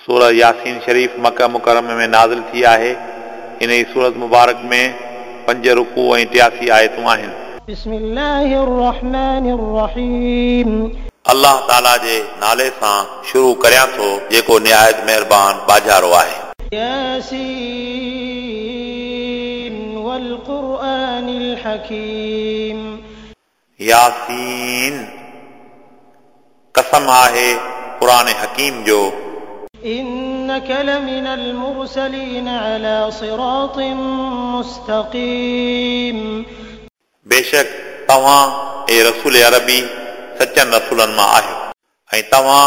सूरह यासीन शरीफ़ मक्का मुकर्रम में नाज़िल थी आहे। इन ई सूरत मुबारक में 5 रुकू ऐं 83 आयतूं आहिनि। बिस्मिल्लाहिर रहमानिर रहीम। अल्लाह ताला जे नाले सां शुरू करियां थो जेको निहायत महिरबान बाजारो आहे। यासीन वल कुरआनिल हकीम। यासीन कसम आहे कुरान हकीम जो। इन्नक लमिनल मुरसलीन अला सिरातिन मुस्तकीम। बेशक तव्हां ए रसूल अरबी सचनि रसूलनि मां आहियो ऐं तव्हां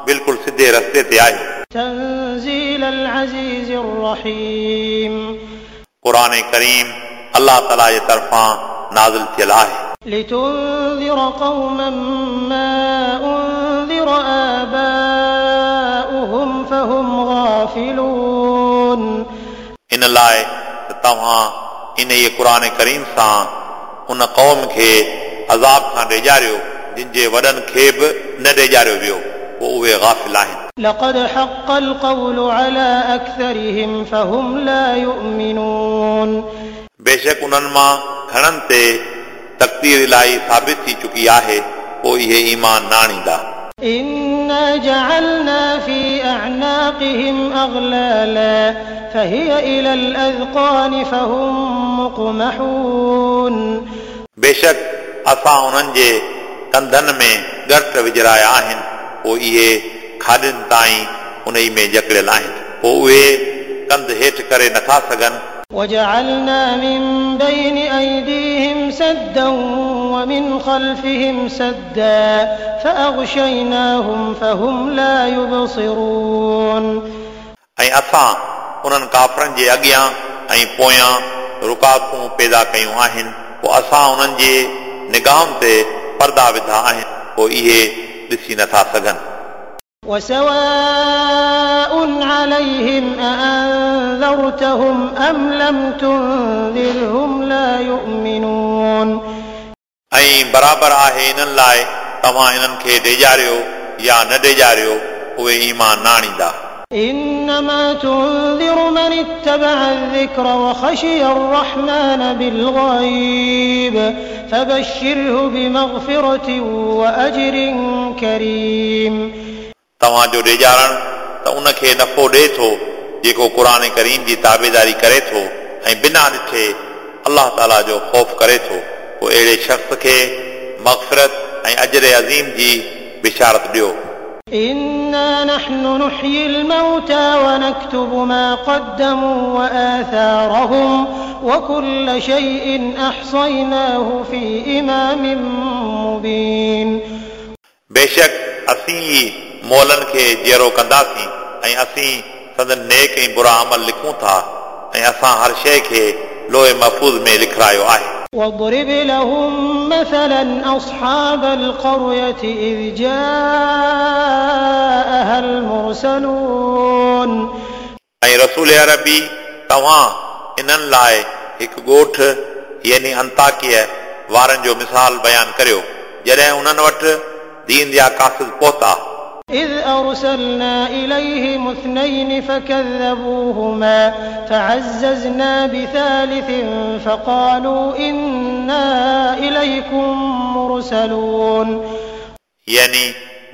बिल्कुलु सिधे रस्ते ते आहियो। तंज़ीलल अज़ीज़िर रहीम। कुरान करीम अल्लाह ताला जे तरफ़ां नाज़िल थियल आहे। लितुंज़िर क़ौमन मा उंज़िर आबाउहुम फहुम ग़ाफ़िलून। इन लाइ त तव्हां इन ई कुरान करीम सां उन क़ौम खे अज़ाब खां ॾेजारियो जिन जे वॾनि खे बि न ॾेजारियो वियो, पोइ उहे ग़ाफ़िल आहिनि। लक़द हक़्क़ल क़ौलु अला अक्सरिहिम फहुम ला युमिनून। बेशक उन्हनि मां घणनि ते तक़दीर इलाही साबित थी चुकी आहे, पोइ इहे ईमान न आणींदा। इन्ना जअलना फी अअनाक़िहिम अग़लाला फहिय इलल अज़क़ान फहुम मुक़महून। बेशक असां उन्हनि जे कंधनि में ॻरट विझराया आहिनि, पोइ इहे खाॾनि ताईं उन ई में जकड़ियल आहिनि, पोइ उहे कंध हेठि करे नथा सघनि। वजअलना मिन बैनि अयदीहिम सद्दन वमिन ख़ल्फ़िहिम सद्दा फ़अग़शयनाहुम फ़हुम ला युबसिरून। ऐं असां उन्हनि काफ़रनि जे अॻियां ऐं पोयां रुकावटूं पैदा कयूं आहिनि, पोइ असां उन्हनि जे निगाहुनि ते पर्दा विधा आहिनि, पोइ इहे ॾिसी नथा सघनि। वसवाء अलैहिम अअंज़रतहुम अम लम तुंज़िरहुम ला युमिनून। ऐं बराबरि आहे इन्हनि लाइ तव्हां इन्हनि खे ॾेजारियो या न ॾेजारियो, उहे ईमान न आणींदा। इन्नमा तुंज़िरु मन इत्तबअ अज़-ज़िक्र व ख़शिय अर्रहमान बिल-ग़ैब फ़बश्शिरहु बिमग़फ़िरतिन व अज्रिन करीम। तव्हांजो ॾेजारण त उनखे नफ़ो ॾिए थो जेको क़ुरान करीम जी ताबेदारी करे थो ऐं बिना ॾिठे अल्लाह ताला जो ख़ौफ़ करे थो, पोइ अहिड़े शख़्स खे मग़फ़िरत ऐं अजर अज़ीम जी बिशारत ॾियो। इन्ना नहनु नुह्यिल मौता व नक्तुबु मा क़द्दमू व आथारहुम व कुल्ल शैइन अहसयनाहु फ़ी इमामिन मुबीन। बेशक असीं ई मोलनि खे जीअरो कंदासीं ऐं असीं संदन नेक ऐं बुरा अमल लिखूं था ऐं असां हर शइ खे लोहे महफ़ूज़ में लिखारायो आहे। वضرب लहुम मसलन अस्हाबल क़र्यति is जाअहल मुरसलून। ऐं रसूल अरबी तव्हां इन्हनि लाइ हिकु ॻोठ यानी अंताकिया वारनि जो मिसाल बयानु करियो जॾहिं उन्हनि वटि दीन जा क़ासिद पहुता। إذ أرسلنا إليهم اثنين فكذبوهما فعززنا بثالث فقالوا إنا إليكم مرسلون। यानी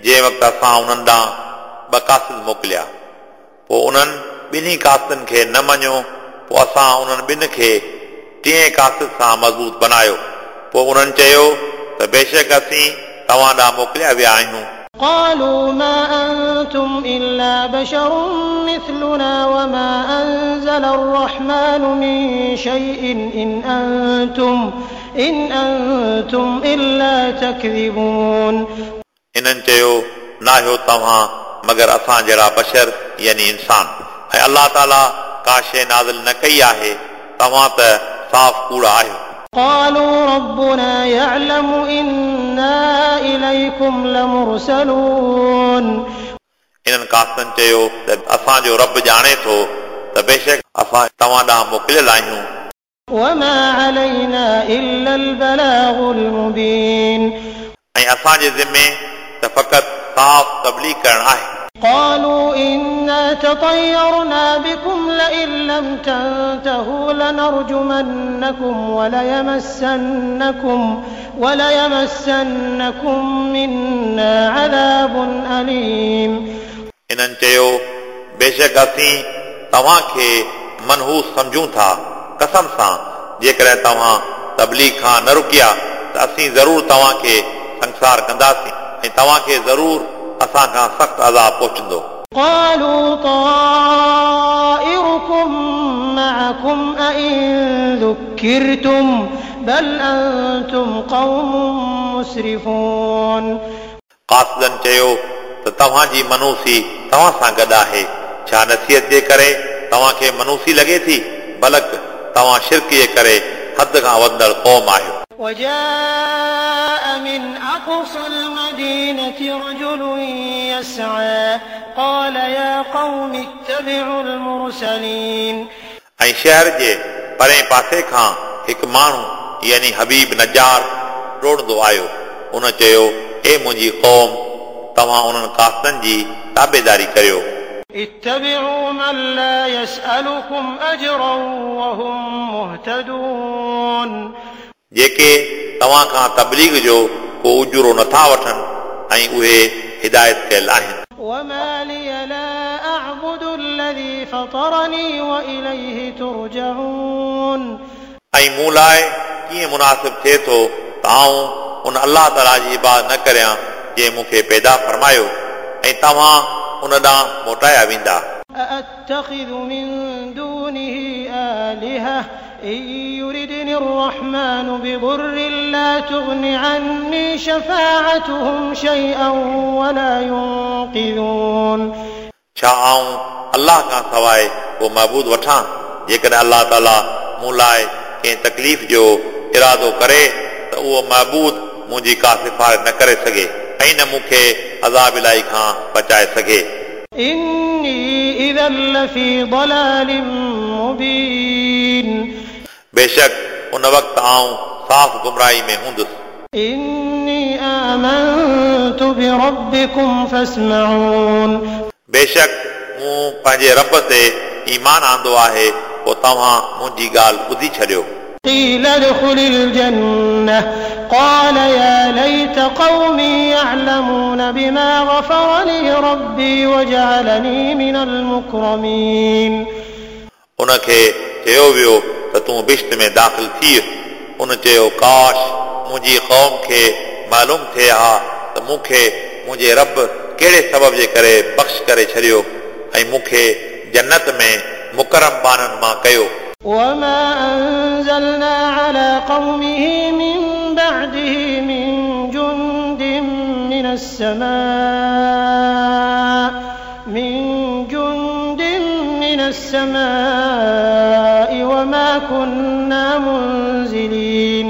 जंहिं वक़्तु असां उन्हनि ॾांहुं ॿ क़ासिद मोकिलिया, पोइ उन्हनि ॿिन्ही क़ासिदनि खे न मञियो, पोइ असां उन्हनि ॿिनि खे टिएं क़ासिद सां मज़बूत बनायो, पोइ उन्हनि चयो त बेशक असीं तव्हां ॾांहुं मोकिलिया विया आहियूं। قالوا ما أنتم إلا بشر مثلنا وما أنزل الرحمن من شيء إن أنتم إلا تكذبون। इन्हनि चयो नाहियो तव्हां मगर असां जहिड़ा बशर यानी इंसान, ऐं अल्लाह ताला का शइ नाज़िल न कई आहे, तव्हां त साफ़ कूड़ा आहियो। قالوا ربنا يعلم إنا إليكم لمرسلون। इन्हनि क़ासिदनि चयो त असांजो रब ॼाणे थो त बेशक असां तव्हां ॾांहुं मोकिलियल आहियूं। وما علينا إلا البلاغ المبين। ऐं असांजे ज़िमे त फ़क़ति साफ़ तबलीग करणु आहे। قالوا إنا تطيرنا بكم لئن لم تنتهوا لنرجمنكم وليمسنكم منا عذاب أليم. इन्हनि चयो, बेशक असीं तव्हांखे मनहूस सम्झूं था। कसम सां, जेकॾहिं तव्हां तबलीग खां न रुकिया त असीं ज़रूर तव्हांखे संसार कंदासीं ऐं तव्हांखे ज़रूर असां खां सख़्तु अज़ाब पहुचंदो। قالوا طائركم معكم أئن ذكرتم بل أنتم قوم مسرفون. क़ासिदनि चयो त तव्हांजी मनूसी तव्हां सां गॾु आहे, छा नसीहत जे करे तव्हांखे मनूसी लॻे थी? बल्कि तव्हां शिरक जे करे हद खां वधंदड़ क़ौम आहियो। وجاء من أقصى المدينة رجل يسعى قال يا قوم اتبعوا المرسلين. ऐं शहर जे परे पासे खां हिकु माण्हू यानी हबीब नजार डोड़ंदो आयो। उन चयो, ए मुंहिंजी क़ौम, तव्हां उन्हनि क़ासिदनि जी ताबेदारी करियो। اتبعوا من لا يسألكم أجرا وهم مهتدون. जेके तव्हां खां तबलीग जो को उजुरो नथा वठनि ऐं उहे हिदायत कयल आहिनि। وما لي لا أعبد الذي فطرني وإليه ترجعون. ऐं मूं लाइ कीअं मुनासिब थिए थो त आउं उन अलाह ताला जी इबादत न करियां जंहिं मूंखे पैदा फरमायो ऐं तव्हां उन ॾांहुं मोटाया वेंदा। أأتخذ من دونه آلهة إن يردني الرحمن بضر لا تغن عني شفاعتهم شيئا ولا ينقذون. छा आउं अलाह खां सवाइ को महबूद वठां? जेकॾहिं अलाह ताला मूं लाइ कंहिं तकलीफ़ जो इरादो करे त उहो महबूद मुंहिंजी का सिफारिश न करे सघे ऐं न मूंखे अज़ाब इलाही खां बचाए सघे। إني إذا لفي ضلال مبين. बेशक उन वक़्तु आउं साफ़ गुमराही में हूंदुसि। إني آمنت بربكم فاسمعون. बेशक मूं पंहिंजे रब ते ईमान आंदो आहे, पोइ तव्हां मुंहिंजी ॻाल्हि ॿुधी छॾियो। قيل ادخل الجنة قال يا ليت قومي يعلمون بما غفر لي ربي وجعلني من المكرمين. उनखे चयो वियो त तूं बिश्त में दाख़िल थी। उन चयो, काश मुंहिंजी क़ौम खे मालूम थिए हा त मूंखे मुंहिंजे रब कहिड़े सबब जे करे बख़्श करे छॾियो ऐं मूंखे जन्नत में मुकरम ॿारनि मां कयो। وما أنزلنا على قومه من بعده من جند من السماء وما كنا منزلين.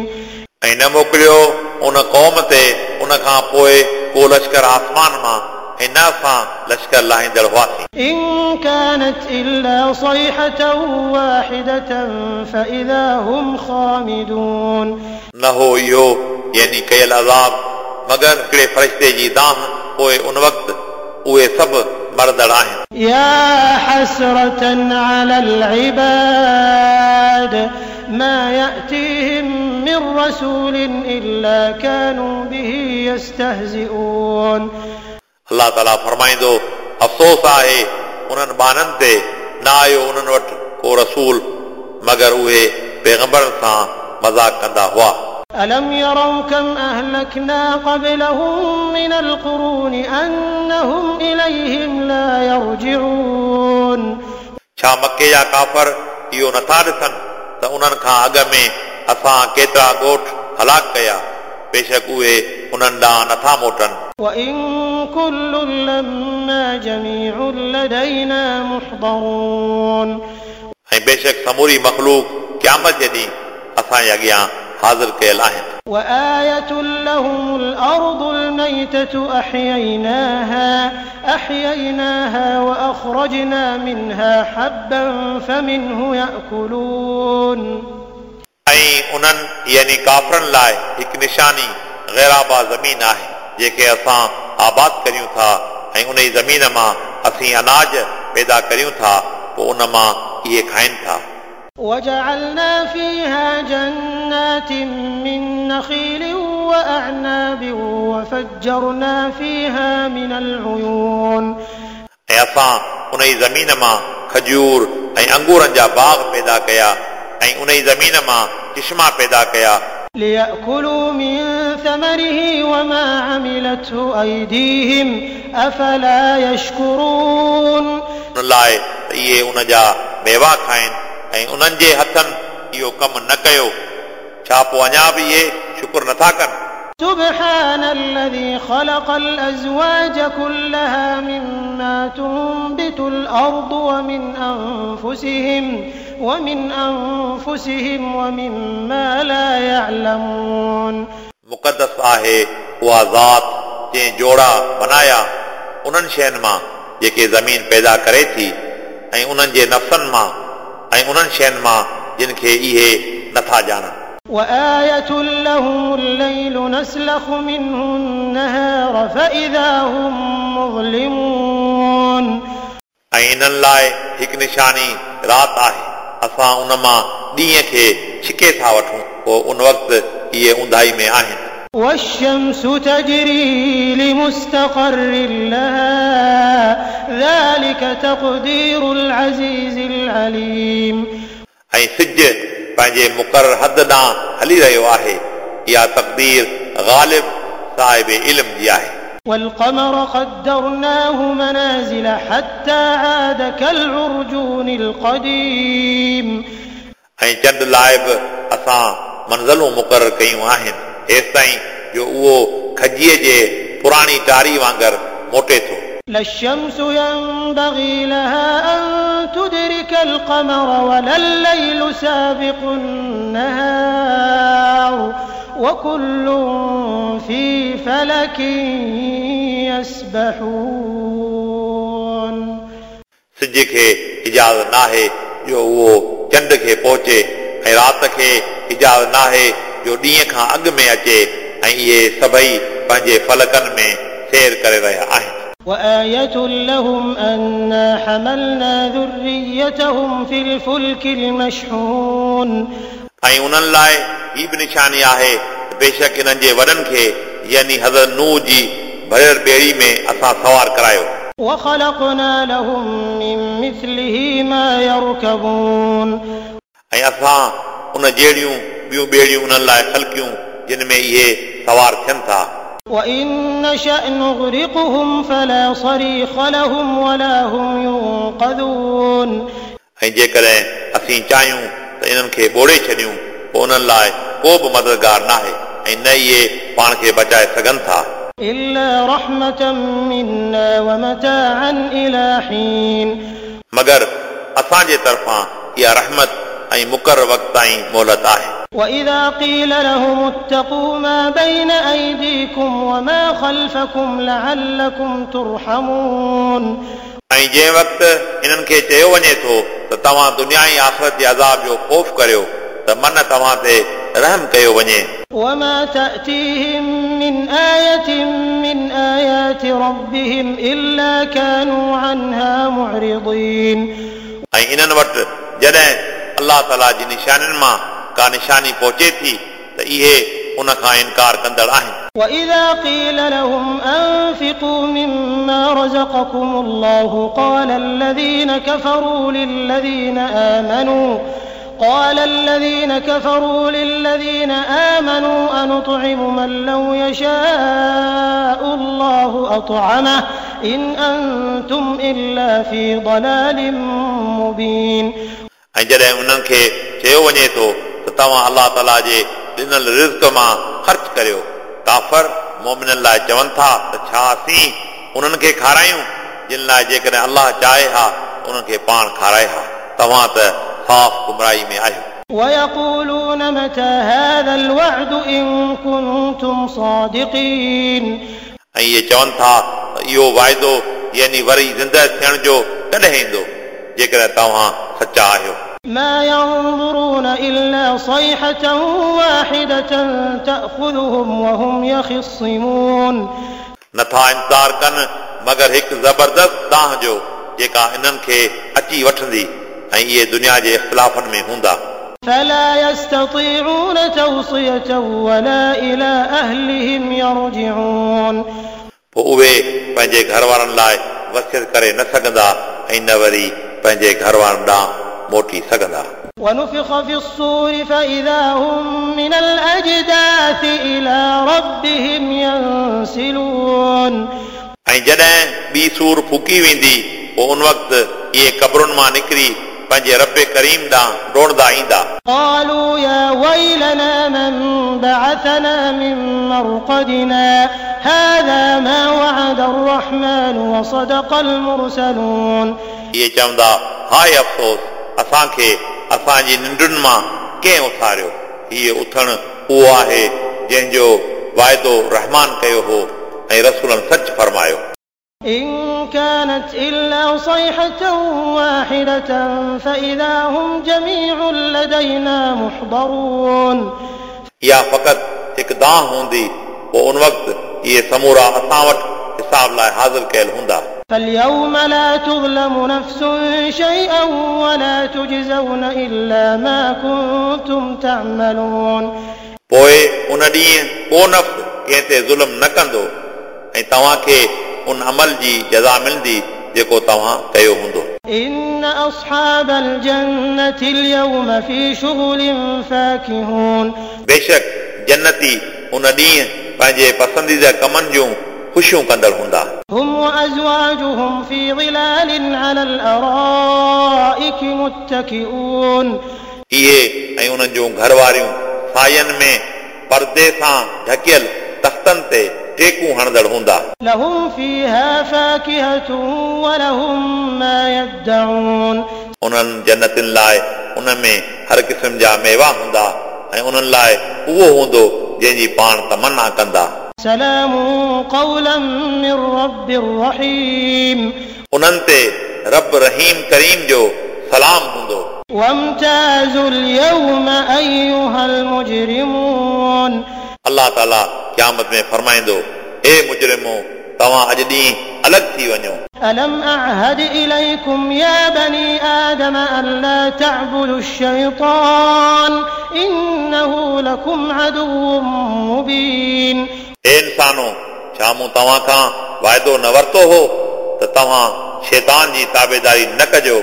ऐं न मोकिलियो उन क़ौम ते उन खां पोइ को लश्कर आसमान मां ऐं न असां लश्कर लाहींदड़ हुआसीं। إن كانت إلا صيحة واحدة فإذا هم خامدون. न हो इहो यानी कयल अज़ाब मगर हिकिड़े फ़रिश्ते जी दाह, पोइ उन वक़्तु उहे सभु मरंदड़ आहिनि। يا حسرة على العباد ما يأتيهم من رسول إلا كانوا به يستهزئون. अलाह ताला फरमाईंदो, अफ़सोस आहे उन्हनि ॿारनि ते, न आयो उन्हनि वटि को रसूल मगर उहे पैगंबरनि सां मज़ाक कंदा हुआ। ألم يروا كم أهلكنا قبلهم من القرون أنهم إليهم لا يرجعون. छा मक्के जा काफ़र इहो नथा ॾिसनि त उन्हनि खां अॻु में असां केतिरा ॻोठ हलाक कया, बेशक उहे उन्हनि ॾांहुं नथा मोटनि। وإن كل لما جميع لدينا محضرون. ऐं बेशक समूरी मख़लूक क़यामत जे ॾींहुं असांजे अॻियां हाज़िर कयल आहिनि। وآية لهم الأرض الميتة أحييناها وأخرجنا منها حبا فمنه يأكلون. ऐं उन्हनि यानी काफ़रनि लाइ हिकु निशानी ग़ैराबा ज़मीन आहे, जेके असां आबाद करियूं था ऐं उन ई ज़मीन मां असीं अनाज पैदा करियूं था पोइ उन मां इहे खाइनि था। وجعلنا فيها جنات من نخيل وأعناب وفجرنا فيها من العيون ऐं असां उन ई ज़मीन मां खजूर ऐं अंगूरनि जा बाग़ पैदा कया ऐं उन ई ज़मीन मां चिश्मा पैदा कया। ليأكلوا من ثمره وما عملته أيديهم أفلا يشكرون उन लाइ त इहे उन जा मेवा खाइनि ऐं उन्हनि जे हथनि इहो कमु न कयो, छा पोइ अञा बि इहे शुक्र नथा कनि? سبحان الذي خلق الأزواج كلها مما تنبت الأرض ومن أنفسهم ومما لا يعلمون मुक़दस आहे उहा ज़ात जंहिं जोड़ा बनाया उन्हनि शयुनि मां जेके ज़मीन पैदा करे थी ऐं उन्हनि जे नफ़्सनि मां ऐं उन्हनि शयुनि मां जिन खे इहे नथा ॼाणनि। وآية لهم الليل نسلخ منه النهار فإذا هم مظلمون ऐं इन्हनि लाइ हिकु निशानी राति आहे, असां उन मां ॾींहं खे छिके था वठूं, पोइ उन वक़्तु इहे ऊंधाई में आहिनि। والشمس تجري لمستقر لها ذلك تقدير العزيز العليم ऐं सिज पंहिंजे मुक़ररु हद ॾांहुं हली रहियो आहे, इहा तक़दीर ग़ालिब साहिब इल्म जी आहे। والقمر قدرناه منازل حتى عاد كالعرجون القديم ऐं चंड लाइ बि असां मंज़िलूं मुक़ररु कयूं आहिनि हेसिताईं जो उहो खजीअ जे पुराणी टारी वांगुरु मोटे थो। لا الشمس ينبغي لها أن تدرك القمر ولا الليل سابق النهار وكل في فلك يسبحون सिज खे इजाज़त नाहे जो उहो चंड खे पहुचे ऐं राति खे इजाज़त नाहे जो ॾींहं खां अॻु में अचे ऐं इहे सभई पंहिंजे फलकनि में सैर करे रहिया आहिनि। وآية لهم أنا حملنا ذريتهم في الفلك المشحون ऐं उन्हनि लाइ हीअ बि निशानी आहे त बेशक इन्हनि जे वॾनि खे यानी हज़रत नूह जी भरियल ॿेड़ी में असां सवार करायो। وخلقنا لهم من مثله ما يركبون ऐं असां उन जहिड़ियूं ॿियूं ॿेड़ियूं उन्हनि लाइ ख़लकियूं जिन में इहे सवार थियनि था। وإن نشأ نغرقهم فلا صريخ لهم ولا هم ينقذون ऐं जेकॾहिं असीं चाहियूं त इन्हनि खे ॿोड़े छॾियूं पोइ उन्हनि लाइ को बि मददगार नाहे ऐं न इहे पाण खे बचाए सघनि था। إلا رحمة منا ومتاعا إلى حين मगर असांजे तरफ़ां इहा रहमत ऐं मुक़ररु वक़्त ताईं मोहलत आहे। وإذا قيل لهم اتقوا ما بين أيديكم وما خلفكم لعلكم ترحمون ऐं जंहिं वक़्तु इन्हनि खे चयो वञे थो त तव्हां दुनिया ऐं आख़िरत जे अज़ाब जो ख़ौफ़ करियो त मन तव्हां ते रहम कयो वञे। وما تأتيهم من آية من آيات ربهم إلا كانوا عنها معرضين ऐं इन्हनि वटि जॾहिं अलाह ताला जी निशानियुनि मां का निशानी पहुचे थी त इहे उन खां इनकार कंदड़ आहिनि। وإذا قيل لهم أنفقوا مما رزقكم الله قال الذين كفروا للذين آمنوا أنطعم من لو يشاء الله أطعمه إن أنتم إلا في ضلال مبين ऐं जॾहिं उन्हनि खे चयो वञे थो त तव्हां अलाह ताला जे ॾिनल रिज़्क मां ख़र्च करियो, काफ़र मोमिननि लाइ चवनि था त छा असीं उन्हनि खे खारायूं जिन लाइ जेकॾहिं अलाह चाहे हा उन्हनि खे पाण खाराए हा, तव्हां त साफ़ गुमराही में आहियो। ويقولون متى هذا الوعد إن كنتم صادقين ऐं इहे चवनि था त इहो वाइदो यानी वरी ज़िंदा थियण जो कॾहिं ईंदो जेकॾहिं तव्हां सचा आहियो। ما ينظرون إلا صيحة واحدة تأخذهم وهم يخصمون नथा इंतज़ार कनि मगर हिकु ज़बरदस्त दांह जो जेका इन्हनि खे अची वठंदी ऐं इहे दुनिया जे इख़्तिलाफ़नि में हूंदा। فلا يستطيعون توصية ولا إلى أهلهم يرجعون। पोइ उहे पंहिंजे घर वारनि लाइ वसियत करे न सघंदा ऐं न वरी पंहिंजे घर वारनि ॾांहुं मोटी सघंदा। ونفخ في الصور فإذا هم من الأجداث إلى ربهم ينسلون। ऐं जॾहिं ॿी सूर फूकी वेंदी पोइ उन वक़्तु इहे क़बरुनि मां निकिरी पंहिंजे रब करीम ॾांहुं ڊوڙندا ईंदा। قالوا يا ويلنا من بعثنا من مرقدنا هذا ما وعد الرحمن وصدق المرسلون। इहे चवंदा हाय अफ़सोस असांखे असांजी निंडुनि मां कंहिं उथारियो। हीउ उथणु उहो आहे जंहिंजो वाइदो रहमान कयो हो ऐं रसूलनि सच फरमायो। إن كانت إلا صيحة واحدة فإذا هم جميع لدينا محضرون। इहा फ़क़ति हिकु दांह हूंदी पोइ उन वक़्तु इहे समूरा असां वटि हिसाब लाइ हाज़िर कयल हूंदा। فاليوم لا تظلم نفس شيئا ولا تجزون إلا ما كنتم تعملون। पोइ उन ॾींहुं को नफ़्स कंहिं ते ज़ुल्म न कंदो ऐं तव्हांखे उन अमल जी जज़ा मिलंदी जेको तव्हां कयो हूंदो। إن أصحاب الجنة اليوم في شغل فاكهون। बेशक जन्नती उन ॾींहुं पंहिंजे पसंदीदा कमनि जूं ख़ुशियूं कंदड़ हूंदा। هم وأزواجهم في ظلال على الأرائك متكئون। इहे ऐं उन्हनि जूं घरवारियूं सायनि में परदे सां ढकियल तख़्तनि ते टेकूं हणंदड़ हूंदा। لهم فيها فاكهة ولهم ما يدعون। उन्हनि जन्नतिन लाइ उन में हर क़िस्म जा मेवा हूंदा ऐं उन्हनि लाइ उहो हूंदो जंहिंजी पाण तमना कंदा। سلام قولا من رب رحيم। उन्हनि ते रब रहीम करीम जो सलाम हूंदो। وامتازوا اليوم أيها المجرمون। अलाह ताला क़यामत में फरमाईंदो ए मुजरिमो तव्हां अॼु ॾींहुं अलॻि थी वञो। ألم أعهد إليكم يا بني آدم ألا تعبدوا الشيطان إنه لكم عدو مبين। ए इंसानो छा मूं तव्हां खां वाइदो न वरितो हो त तव्हां शैतान जी ताबेदारी न कजो,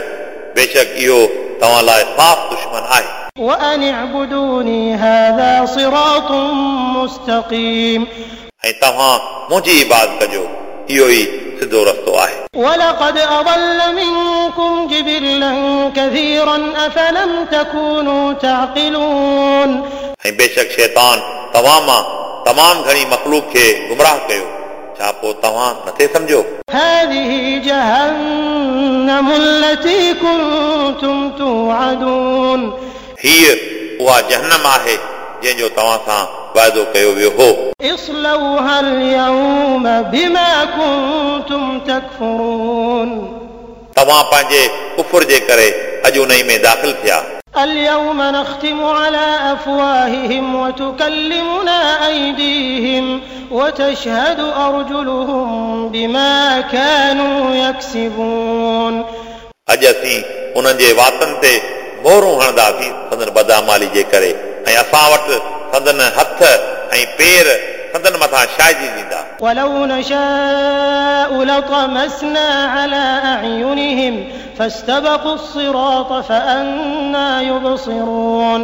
बेशक इहो तव्हां लाइ साफ़ दुश्मन आहे। وأن اعبدوني هذا صراط مستقيم। ऐं तव्हां मुंहिंजी इबादत कजो, इहो ई सिधो रस्तो आहे। ولقد أضل منكم جبلا كثيرا أفلم تكونوا تعقلون। ऐं बेशक शैतान तव्हां मां तमामु घणी मख़लूक खे गुमराह कयो, छा पोइ तव्हां नथे सम्झो? هذه جهنم التي كنتم توعدون। हीअ उहा जहनम आहे जंहिंजो तव्हां सां वाइदो कयो वियो हो। اصلوها اليوم بما كنتم تكفرون। तव्हां पंहिंजे कुफुर जे करे अॼु उन में दाख़िल थिया। اليوم نختم على أفواههم وتكلمنا أيديهم وتشهد أرجلهم بما كانوا يكسبون। अॼु असीं उन्हनि जे वातनि ते मोहरूं हणंदासीं संदन बदामाली जे करे ऐं असां वटि संदन हथ ऐं पेर संदन मथां शाहिदी ॾींदा। ولو نشاء لطمسنا على أعينهم فاستبقوا الصراط فأنى يبصرون।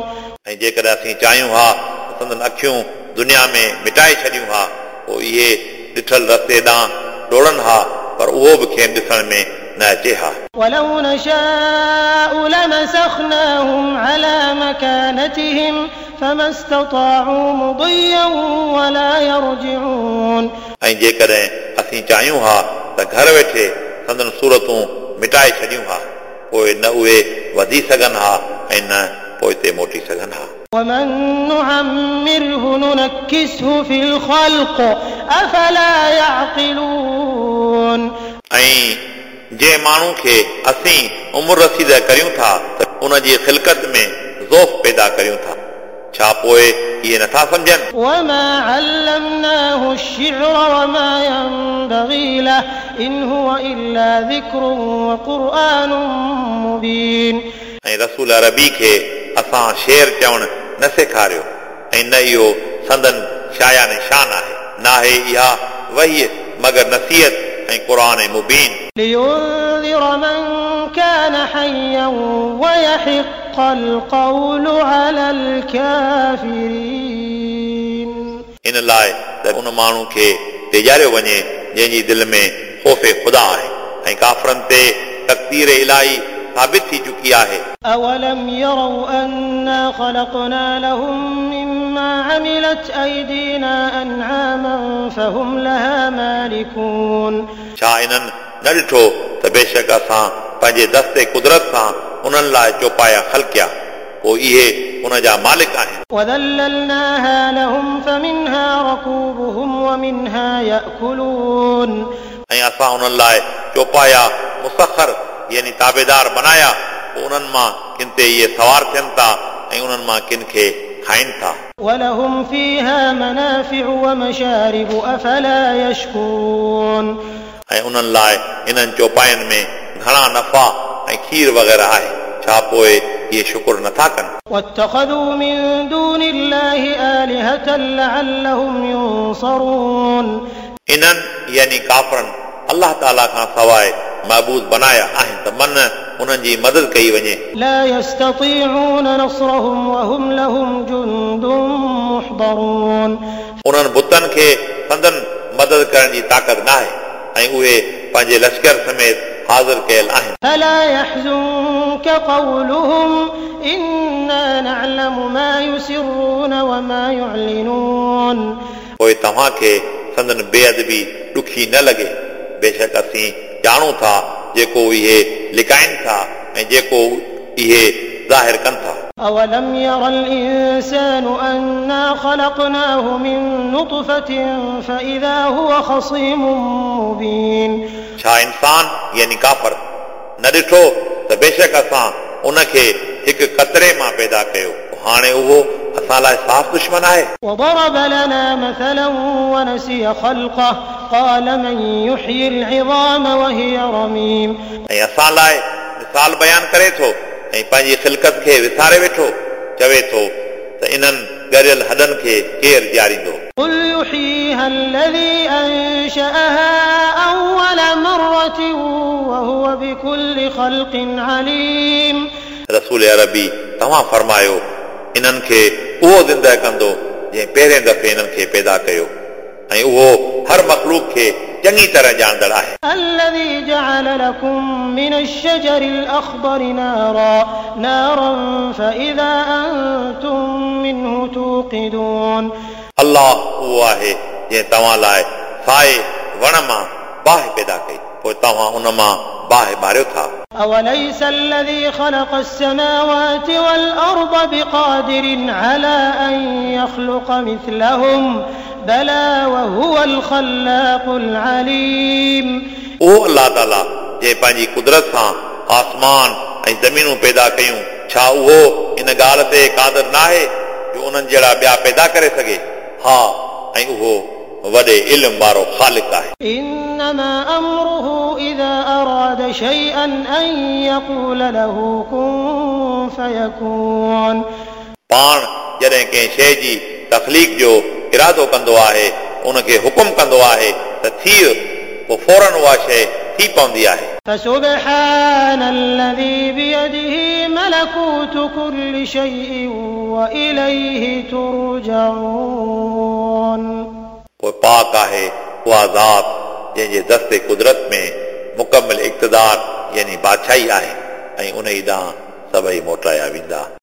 ऐं जेकॾहिं असीं चाहियूं हा त संदन अखियूं दुनिया में मिटाए छॾियूं हा, पोइ इहे ॾिठल रस्ते ॾांहुं डोड़नि हा, पर उहो बि खेनि ॾिसण में न अचे हा। ولو نشاء لمسخناهم على مكانتهم فما استطاعوا مضيا ولا يرجعون। ऐं जेकॾहिं असीं चाहियूं हा त घर वेठे संदन सूरतूं मिटाए छॾियूं हा, पोइ न उहे वधी सघनि हा ऐं न पोइ ते मोटी सघनि हा। ومن نعمره ننكسه في الخلق أفلا يعقلون। ऐं जंहिं माण्हू खे असीं उमिरि रसीद करियूं था त उन जी ख़िलकत में ज़ोफ़ पैदा करियूं था, छा पोइ इहे नथा सम्झनि? وما علمناه الشعر وما ينبغي له إن هو إلا ذكر وقرآن مبين. ऐं रसूल अरबी खे असां शेर चवणु न सेखारियो ऐं न इहो संदन शाया निशान आहे। नाहे इहा वही मगर नसीहत ऐं क़ुर मुबीन। لينذر من كان حيا ويحق القول على الكافرين. इन लाइ त उन माण्हू खे टेजारियो वञे जंहिंजी दिलि में ख़ौफ़ ख़ुदा आहे ऐं काफ़रनि ते तक़दीर इलाही साबित थी चुकी आहे। أولم يروا أنا خلقنا لهم مما عملت أيدينا أنعاما فهم لها مالكون. छा इन्हनि न ॾिठो त बेशक असां पंहिंजे दस्ते कुदरत सां उन्हनि लाइ चौपाया ख़लकिया, पोइ इहे उन जा मालिक आहिनि। وذللناها لهم فمنها ركوبهم ومنها يأكلون. ऐं असां उन्हनि लाइ चौपाया मुसखर यानी ताबेदार बनाया, पोइ उन्हनि मां किन ते इहे सवार थियनि था ऐं उन्हनि मां किन खे खाइनि था। ولهم فيها منافع ومشارب أفلا يشكرون. ऐं उन्हनि लाइ इन्हनि चौपायनि में घणा नफ़ा ऐं खीर वग़ैरह आहे, छा पोइ इहे शुक्र नथा कनि? واتخذوا من دون الله آلهة لعلهم ينصرون. इन्हनि यानी काफ़रनि अलाह ताला खां सवाइ महबूद बनाया आहिनि त मन उन्हनि जी मदद कई वञे। لا يستطيعون نصرهم وهم لهم جند محضرون. उन्हनि बुतनि खे संदन मदद करण जी ताक़त न आहे ऐं उहे पंहिंजे लश्कर समेत हाज़िर कयल आहिनि। فلا يحزنك قولهم إنا نعلم ما يسرون وما يعلنون. पोइ तव्हांखे संदन बेअदबी ॾुखी न लॻे, बेशक असीं ॼाणूं था जेको इहे लिकाइनि था ऐं जेको इहे ज़ाहिर कनि था। أولم ير الإنسان أنا خلقناه من نطفة فإذا هو خصيم مبين. छा इंसान यानी काफ़र न ॾिठो त बेशक असां उनखे हिकु कतरे मां पैदा कयो, हाणे उहो असां लाइ साफ़ दुश्मन आहे। وضرب لنا مثلا ونسي خلقه قال من يحيي العظام وهي رميم. ऐं असां लाइ मिसाल बयानु करे थो ऐं पंहिंजी ख़िलकत खे विसारे वेठो, चवे थो त इन्हनि ॻरियल हॾनि खे केरु ॼारींदो? قل يحييها الذي أنشأها أول مرة وهو بكل خلق عليم. रसूल अरबी तव्हां फरमायो इन्हनि खे उहो ज़िंदा कंदो जंहिं पहिरें दफ़े इन्हनि खे पैदा कयो ऐं उहो हर मख़लूक खे चङी तरह ॼाणंदड़ आहे। الذي جعل لكم من الشجر الأخضر نارا فإذا أنتم منه توقدون. अलाह उहो आहे जंहिं तव्हां लाइ साए वण मां बाहि पैदा कई, पोइ तव्हां उन मां बाहि ॿारियो था। أوليس الذي خلق السماوات والأرض بقادر على أن يخلق مثلهم بلى وهو الخلاق العليم. उहो अलाह ताला जंहिं पंहिंजी कुदरत सां आसमान ऐं ज़मीनूं पैदा कयूं, छा उहो इन ॻाल्हि ते क़ादिर न आहे जो उन्हनि जहिड़ा ॿिया पैदा करे सघे? हा, ऐं उहो वॾे इल्म वारो ख़ालिक आहे। إنما أمره إذا أراد شيئا أن يقول له كن فيكون. पाण जॾहिं कंहिं शइ जी तख़लीक़ जो इरादो कंदो आहे, उनखे हुकुम कंदो आहे त थी, पोइ फ़ौरन उहा शइ थी पवंदी आहे। فسبحان الذي بيده ملكوت كل شيء وإليه ترجعون. पोइ पाक आहे उहा ज़ात जंहिंजे दस्ते कुदरत में मुकमिल इक़्तिदार यानी बादशाही आहे ऐं उन ई ॾांहुं सभई मोटाया वेंदा।